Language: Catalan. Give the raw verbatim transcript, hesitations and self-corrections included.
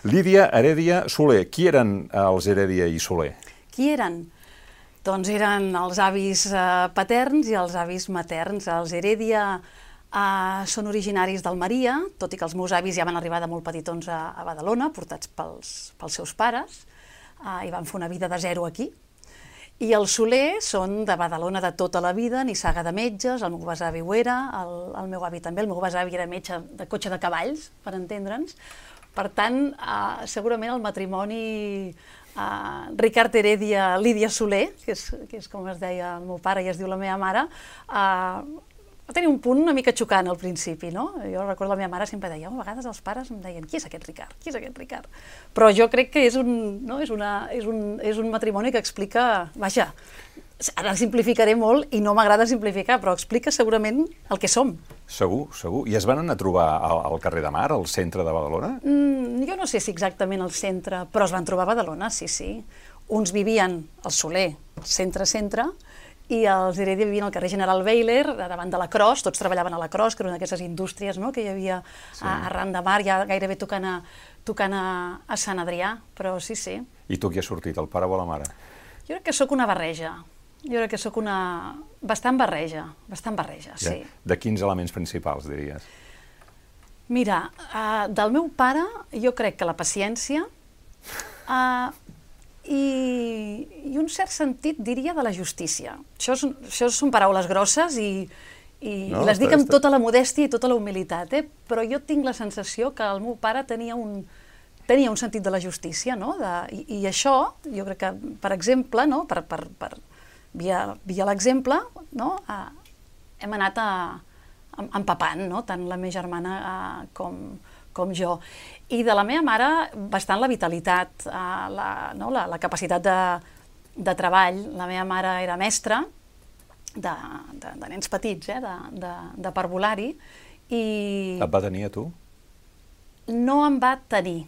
Lídia Heredia Soler. Qui eren els Heredia i Soler? Qui eren? Doncs eren els avis eh, paterns i els avis materns. Els Heredia eh, són originaris d'Almeria, tot i que els meus avis ja van arribar de molt petitons a, a Badalona, portats pels, pels seus pares, eh, i van fer una vida de zero aquí. I els Soler són de Badalona de tota la vida, nissaga de metges, el meu besavi ho era, el, el meu avi també, el meu besavi era metge de cotxe de cavalls, per entendre'ns. Per tant, eh, segurament el matrimoni eh, Ricard Heredia, Lídia Soler, que és, que és com es deia el meu pare i es diu la meva mare, eh, va tenir un punt una mica xocant al principi, no? Jo recordo la meva mare sempre deia, a vegades els pares em deien, qui és aquest Ricard? Qui és aquest Ricard? Però jo crec que és un, no? és una, és un, és un matrimoni que explica, vaja, ara simplificaré molt i no m'agrada simplificar, però explica segurament el que som. Segur, segur. I es van anar a trobar al, al carrer de Mar, al centre de Badalona? Mm, jo no sé si exactament al centre, però es van trobar a Badalona, sí, sí. Uns vivien al Soler, centre-centre, i els Heredia vivien al carrer General Beiler, davant de la Cros, tots treballaven a la Cros, que era una d'aquestes indústries, no?, que hi havia sí. a, arran de Mar, ja gairebé tocant, a, tocant a, a Sant Adrià, però sí, sí. I tu qui has sortit, el pare o la mare? Jo crec que sóc una barreja, jo crec que sóc una... bastant barreja, bastant barreja, ja. sí. De quins elements principals, diries? Mira, uh, del meu pare, jo crec que la paciència, uh, I, i un cert sentit, diria, de la justícia. Això, és, això són paraules grosses i, i, no, i les dic amb està... tota la modèstia i tota la humilitat, eh? Però jo tinc la sensació que el meu pare tenia un, tenia un sentit de la justícia, no? De, i, I això, jo crec que, per exemple, no? per, per, per, via, via l'exemple, no? a, hem anat a, a, empapant, no? Tant la meva germana a, com, com jo. I de la meva mare, bastant la vitalitat, eh, la, no, la, la capacitat de, de treball. La meva mare era mestra de, de, de nens petits, eh, de, de, de parvulari. I et va tenir a tu? No em va tenir,